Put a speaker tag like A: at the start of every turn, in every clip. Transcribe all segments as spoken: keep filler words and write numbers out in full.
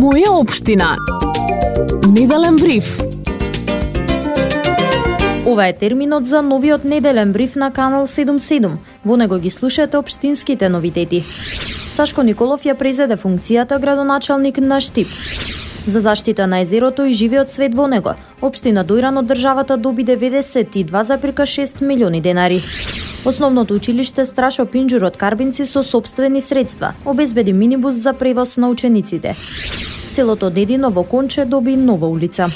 A: Моја општина. Неделен бриф.
B: Ова е терминот за новиот неделен бриф на Канал седум седум. Во него ги слушате општинските новитети. Сашко Николов ја презеде функцијата градоначалник на Штип. За заштита на езерото и живиот свет во него, општина Дојран од државата доби деветдесет и два зарез и шест милиони денари. Основното училиште Страшо Пинџур од Карбинци со сопствени средства обезбеди минибус за превоз на учениците. Селото Дедино во Конче доби нова улица.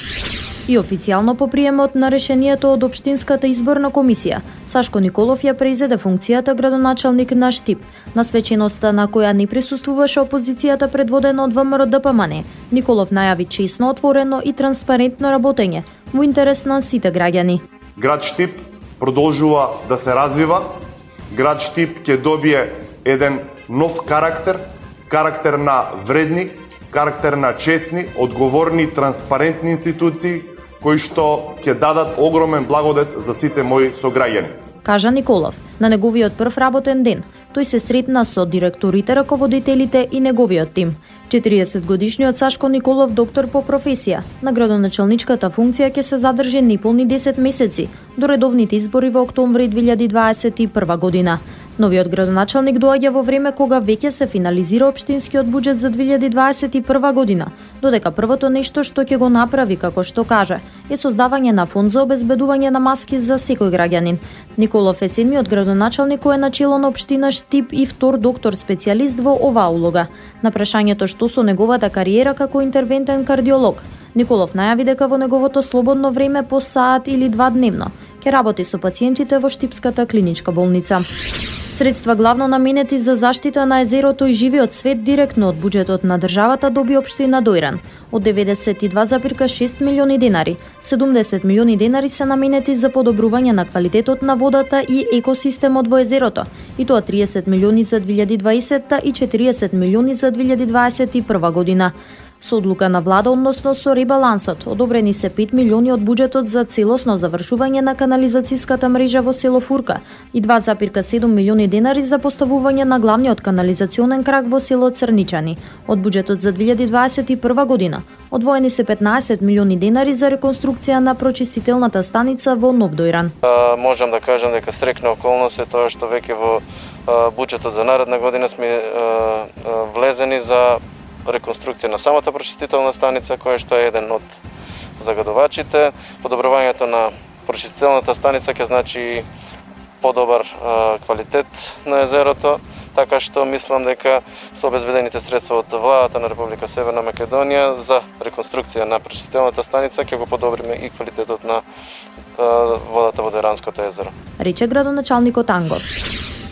B: И официјално по приемот на решението од Општинската изборна комисија, Сашко Николов ја презеде функцијата градоначалник на Штип. На свеченоста на која не присуствуваше опозицијата предводена од ВМРО-ДПМН, Николов најави честно, отворено и транспарентно работење во интерес на сите граѓани.
C: Град Штип продолжува да се развива. Град Штип ќе добие еден нов карактер, карактер на вредни, карактер на честни, одговорни, транспарентни институции кои што ќе дадат огромен благодет за сите мои сограѓани.
B: Кажа Николов на неговиот прв работен ден. Тој се сретна со директорите, раководителите и неговиот тим. четириесет годишниот Сашко Николов, доктор по професија, на градоначалничката функција ќе се задржи неполни десет месеци до редовните избори во октомври две илјади дваесет и прва година. Новиот градоначалник доаѓа во време кога веќе се финализира општинскиот буџет за две илјади дваесет и прва година, додека првото нешто што ќе го направи, како што каже, е создавање на фонд за обезбедување на маски за секој граѓанин. Николов е седмиот градоначалник кој е начело на општина Штип и втор доктор специјалист во оваа улога. На прашањето што со неговата кариера како интервентен кардиолог, Николов најави дека во неговото слободно време по саат или два дневно ќе работи со пациентите во Штипската клиничка болница. Средства главно наменети за заштита на езерото и живиот свет директно од буџетот на државата доби општина Дојран. Од деветдесет и два зарез и шест милиони денари, седумдесет милиони денари се наменети за подобрување на квалитетот на водата и екосистемот во езерото, и тоа триесет милиони за две илјади дваесета и четириесет милиони за две илјади дваесет и прва година. Со одлука на влада, односно со ребалансот, одобрени се пет милиони од буџетот за целосно завршување на канализацијската мрежа во село Фурка и два зарез и седум милиони денари за поставување на главниот канализационен крак во село Црничани. Од буџетот за две илјади дваесет и прва година одвоени се петнаесет милиони денари за реконструкција на прочистителната станица во Нов Дојран.
D: А, можам да кажам дека срекна околност е тоа што веќе во а, буџетот за наредна година сме а, а, влезени за реконструкција на самата прочистителна станица, која што е еден од загадувачите. Подобрувањето на прочистителната станица ќе значи подобар а, квалитет на езерото, така што мислам дека со обезбедените средства од владата на Република Северна Македонија за реконструкција на прочистителната станица ќе го подобриме и квалитетот на а, водата во Дојранското езеро.
B: Рече градоначалникот Ангов.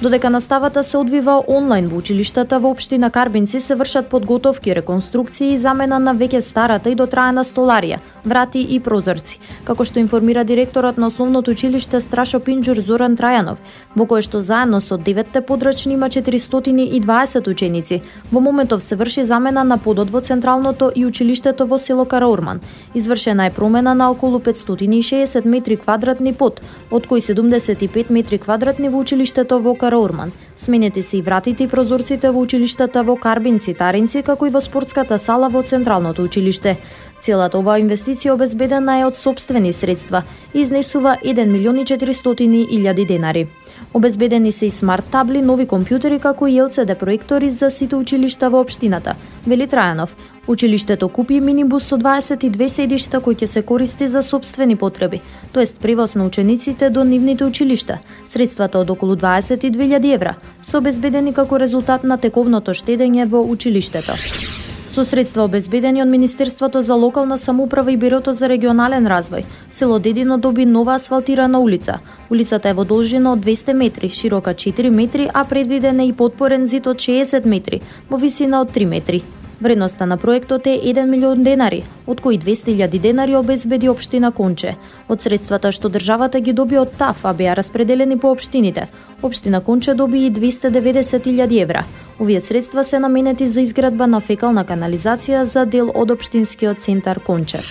B: Додека наставата се одвива онлайн во училиштата во општина Карбинци се вршат подготовки, реконструкции и замена на веќе старата и дотраена столарија, врати и прозорци, како што информира директорот на основното училиште Страшо Пинџур Зоран Трајанов, во кое што заедно со деветте подрачни има четиристотини и дваесет ученици. Во моментов се врши замена на подот во централното и училиштето во село Караурман. Извршена е промена на околу петстотини и шеесет метри квадратни под, од кои седумдесет и пет метри квадратни во училиштето во Караурман. Сменети се и вратите и прозорците во училиштата во Карбинци, Таринци, како и во спортската сала во централното училиште. Целата оваа инвестиција обезбедена е од сопствени средства и изнесува еден милион и четиристотини илјади денари. Обезбедени се и смарт табли, нови компјутери, како и Ел Си Ди проектори за сите училишта во општината, вели Трајанов. Училиштето купи минибус со дваесет и две седишта кој ќе се користи за сопствени потреби, тоест превоз на учениците до нивните училишта. Средствата од околу дваесет и две илјади евра се обезбедени како резултат на тековното штедење во училиштето. Со средства обезбедени од Министерството за локална самоуправа и Бирото за регионален развој, село Дедино доби нова асфалтирана улица. Улицата е во должина од двесте метри, широка четири метри, а предвиден е и подпорен зид од шеесет метри, во висина од три метри. Вредноста на проектот е еден милион денари, од кои двесте илјади денари обезбеди општина Конче. Од средствата што државата ги доби од ТАФ, а беа распределени по општините, општина Конче доби и двесте и деветдесет илјади евра. Овие средства се наменети за изградба на фекална канализација за дел од општинскиот центар Конче.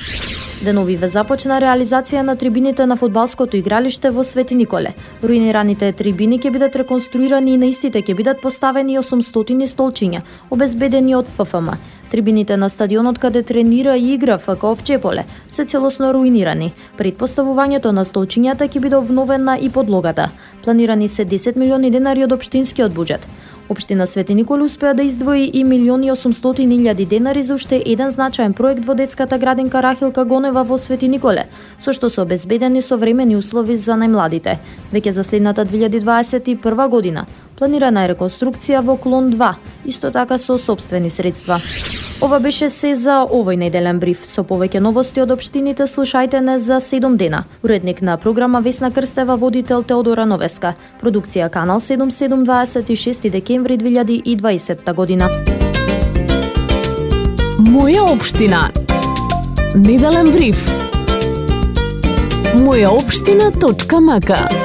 B: Деновиве започна реализација на трибините на фудбалското игралиште во Свети Николе. Руинираните трибини ќе бидат реконструирани и на истите ќе бидат поставени осумстотини столчиња, обезбедени од Ф Ф М. Трибините на стадионот каде тренира и игра ФК Овчеполе се целосно руинирани. Пред поставувањето на столчињата ќе биде обновена и подлогата. Планирани се десет милиони денари од општинскиот буџет. Општина Свети Николе успеа да издвои и милион и осумстотини илјади денари за уште еден значаен проект во детската градинка Рахилка Гонева во Свети Николе, со што се обезбедени современи услови за најмладите. Веќе за следната две илјади дваесет и прва година планирана е реконструкција во клон два, исто така со сопствени средства. Ова беше се за овој неделен бриф. Со повеќе новости од општините слушајте не за седум дена. Уредник на програма Весна Крстева, водител Теодора Новеска. Продукција Канал седум седум дваесет и шести декември две илјади и дваесетта година.
A: Моја општина. Неделен бриф. моја општина точка м к